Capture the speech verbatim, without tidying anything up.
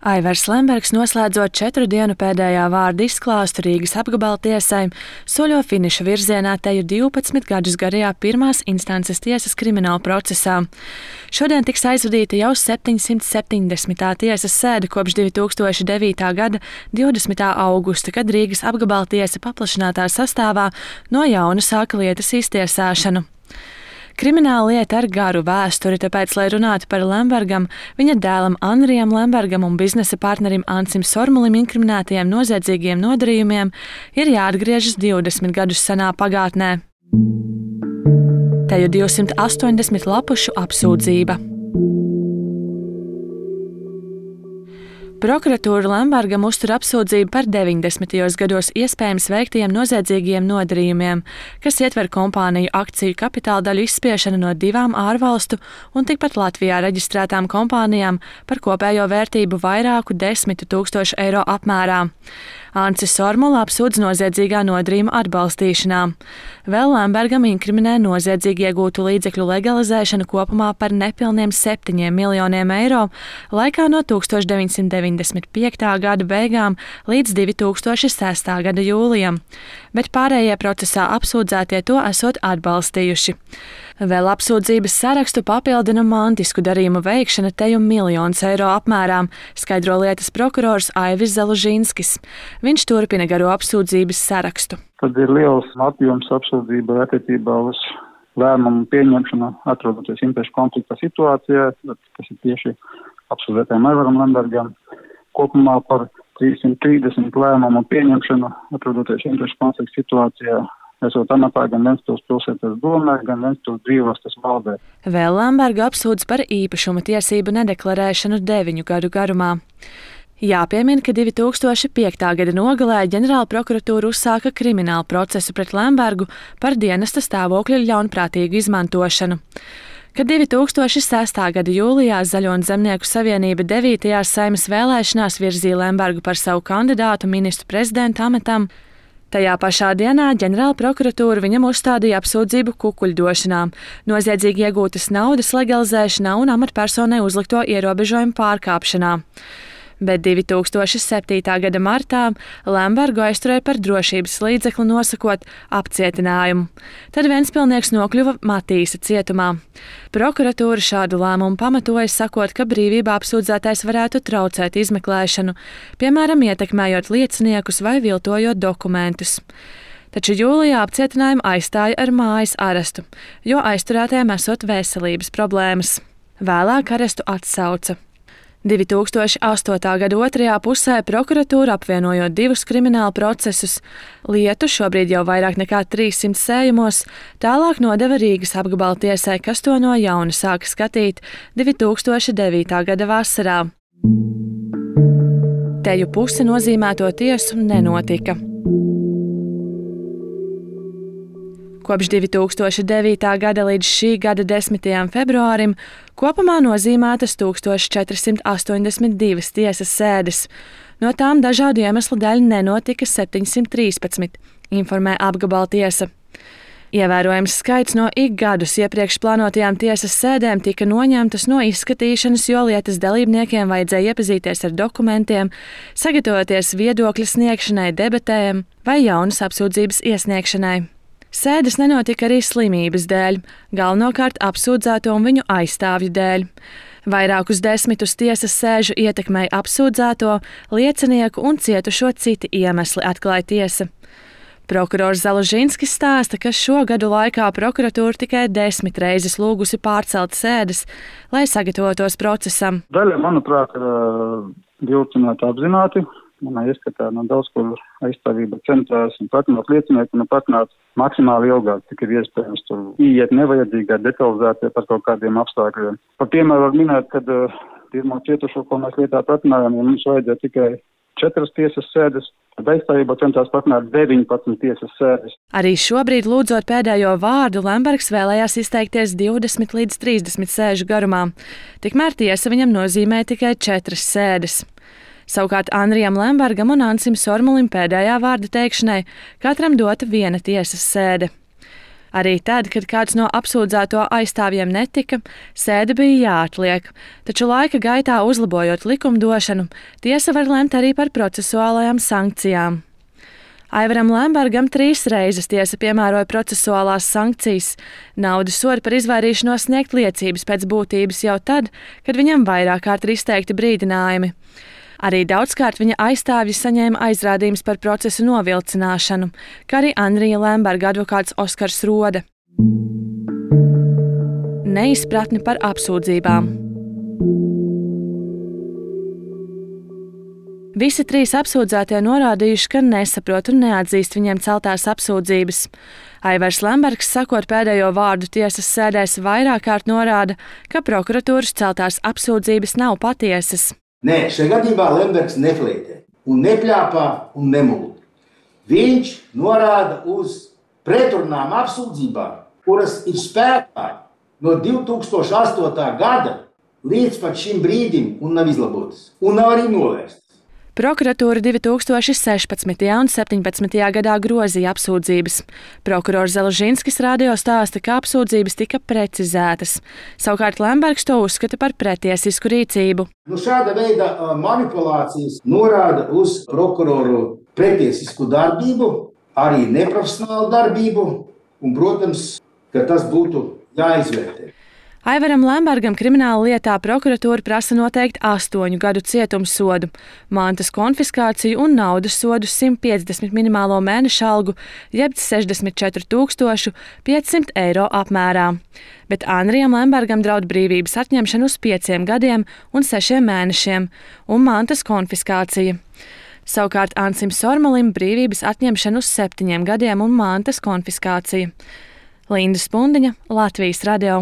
Aivars Lembergs, noslēdzot četru dienu pēdējā vārda izklāstu Rīgas apgabaltiesai, soļo finiša virzienā teju divpadsmit gadus garajā pirmās instances tiesas krimināla procesā. Šodien tiks aizvadīta jau septiņsimt septiņdesmitā tiesas sēde kopš divi tūkstoši devītā gada divdesmitā augusta, kad Rīgas apgabaltiesa paplašinātā sastāvā no jauna sāka lietas iztiesāšanu. Krimināla lieta ar garu vēsturi, tāpēc, lai runātu par Lembergam, viņa dēlam Andrijam Lembergam un biznesa partnerim Ancim Sormulim inkriminētajiem noziedzīgiem nodarījumiem, ir jāatgriežas divdesmit gadus senā pagātnē. Teju divsimt astoņdesmit lapušu apsūdzība. Prokuratūra Lembergam uztur apsūdzību par deviņdesmitajos gados iespējams veiktajiem noziedzīgiem nodarījumiem, kas ietver kompāniju akciju kapitāla daļu izspiešanu no divām ārvalstu un tikpat Latvijā reģistrētām kompānijām par kopējo vērtību vairāku desmitu tūkstošu eiro apmērā. Ancis Sormula apsūdz noziedzīgā nodarījuma atbalstīšanā. Vēl Lembergam inkriminē noziedzīgi iegūtu līdzekļu legalizēšanu kopumā par nepilniem septiņiem miljoniem eiro laikā no tūkstoš deviņsimt deviņdesmit piektā gada beigām līdz divi tūkstoši sestā gada jūlijam, bet pārējie procesā apsūdzētie to esot atbalstījuši. Vēl apsūdzības sarakstu papildina mantisku darījumu veikšana teju miljonus eiro apmērā, skaidro lietas prokurors Aivis Zalužinskis. Viņš turpina garo apsūdzības sarakstu. Tad ir liels apjoms apsūdzība attiecībā uz lēmumu pieņemšanu, atrodoties interešu konflikta situācijā, kas ir tieši apsūdzētajam Aivaram Lembergam. Kopumā par trīssimt trīsdesmit lēmumu pieņemšanu, atrodoties interešu konflikta situācijā, esot amatā gan Ventspils pilsētas domē, gan Ventspils brīvostas valdē. Vēl Lembergu apsūdz par īpašuma tiesību nedeklarēšanu deviņu gadu garumā. Jāpiemina, ka divi tūkstoši piektā gada nogalē ģenerāla prokuratūra uzsāka kriminālu procesu pret Lembergu par dienesta stāvokļa ļaunprātīgu izmantošanu. Kad divi tūkstoši sestā gada jūlijā Zaļo un Zemnieku savienība devītajās Saeimas vēlēšanās virzīja Lembergu par savu kandidātu ministru prezidenta amatam, tajā pašā dienā ģenerāla prokuratūra viņam uzstādīja apsūdzību kukuļdošanā, noziedzīgi iegūtas naudas legalizēšanā un amatpersonai uzlikto ierobežojumu pārkāpšanā. Bet divi tūkstoši septītā gada martā Lembergu aizturēja par drošības līdzekli nosakot apcietinājumu. Tad Ventspilnieks nokļuva Matīsa cietumā. Prokuratūra šādu lēmumu pamatoja, sakot, ka brīvībā apsūdzētais varētu traucēt izmeklēšanu, piemēram, ietekmējot lieciniekus vai viltojot dokumentus. Taču jūlijā apcietinājumu aizstāja ar mājas arestu, jo aizturētajiem esot veselības problēmas. Vēlāk arestu atsauca. divi tūkstoši astotā gada otrajā pusē prokuratūra, apvienojot divus krimināla procesus, lietu šobrīd jau vairāk nekā trīssimt sējumos, tālāk nodeva Rīgas apgabaltiesai, kas to no jauna sāka skatīt divi tūkstoši devītā gada vasarā. Teju puse nozīmēto tiesu nenotika. Kopš divi tūkstoši devītā gada līdz šī gada desmitajam februārim kopumā nozīmētas tūkstoš četrsimt astoņdesmit divas tiesas sēdes. No tām dažādu iemeslu dēļ nenotika septiņsimt trīspadsmit, informē apgabaltiesa. Ievērojams skaits no ik gadus iepriekš plānotajām tiesas sēdēm tika noņemtas no izskatīšanas, jo lietas dalībniekiem vajadzēja iepazīties ar dokumentiem, sagatavoties viedokļa sniegšanai, debatēm vai jaunas apsūdzības iesniegšanai. Sēdes nenotika arī slimības dēļ, galvenokārt apsūdzēto un viņu aizstāvju dēļ. Vairākus desmitus tiesas sēžu ietekmēja apsūdzēto, liecinieku un cietušo citi iemesli, atklāja tiesa. Prokurors Zalužinskis stāsta, ka šo gadu laikā prokuratūra tikai desmit reizes lūgusi pārcelt sēdes, lai sagatavotos procesam. Daļa, manuprāt, ir vilcināta apzināti. Manā ieskatā no daudz, kur aizstāvība centrās un patināt liecinieku un patināt maksimāli ilgāk, cik ir iespējams tur ieiet nevajadzīgā, detalizētie par kaut kādiem apstākļiem. Par piemēru var minēt, kad uh, pirmo cietušo, ko mēs lietā patinājām, ja mums vajadzēja tikai četras tiesas sēdes, tad aizstāvība centrās patināt deviņpadsmit tiesas sēdes. Arī šobrīd, lūdzot pēdējo vārdu, Lembergs vēlējās izteikties divdesmit līdz trīsdesmit sēžu garumā. Tikmēr tiesa viņam nozīmē tikai četras sēdes. Savukārt Andrijam Lembergam un Ancim Sormulim pēdējā vārda teikšanai katram dota viena tiesas sēde. Arī tad, kad kāds no apsūdzēto aizstāvjiem netika, sēde bija jāatliek, taču laika gaitā uzlabojot likumdošanu, tiesa var lemt arī par procesuālajām sankcijām. Aivaram Lembergam trīs reizes tiesa piemēroja procesuālās sankcijas, naudas sodu par izvairīšanos sniegt liecības pēc būtības jau tad, kad viņam vairāk kārt ir izteikti brīdinājumi. Arī daudzkārt viņa aizstāvji saņēma aizrādījumus par procesu novilcināšanu, kā arī Andrija Lemberga advokāts Oskars Rode. Neizpratni par apsūdzībām. Visi trīs apsūdzētie norādījuši, ka nesaprot un neatzīst viņiem celtās apsūdzības. Aivars Lembergs, sakot pēdējo vārdu tiesas sēdēs, vairāk kārt norāda, ka prokuratūras celtās apsūdzības nav patiesas. Nē, šajā gadījumā Lembergs neflētē un nepļāpā un nemulda. Viņš norāda uz pretrunām apsūdzībām, kuras ir spēkā no divi tūkstoši astotā gada līdz pat šim brīdim un nav izlabotas un nav arī novērstas. Prokuratūra divi tūkstoši sešpadsmitajā un septiņpadsmitajā gadā grozīja apsūdzības. Prokurors Zelžinskis radio stāsta, ka apsūdzības tika precizētas. Savukārt Lembergs to uzskata par pretiesisku rīcību. Nu, šāda veida manipulācijas norāda uz prokuroru pretiesisku darbību, arī neprofesionālu darbību, un, protams, ka tas būtu jāizvērtē. Aivaram Lembergam krimināla lietā prokuratūra prasa noteikt astoņu gadu cietumsodu, mantas konfiskāciju un naudas sodu simt piecdesmit minimālo mēneša algu, jeb sešdesmit četri tūkstoši piecsimt eiro apmērā. Bet Andrijam Lembergam draud brīvības atņemšana uz pieciem gadiem un sešiem mēnešiem un mantas konfiskācija. Savukārt Ansim Sormalim brīvības atņemšana uz septiņiem gadiem un mantas konfiskācija. Linda Spundiņa, Latvijas radio.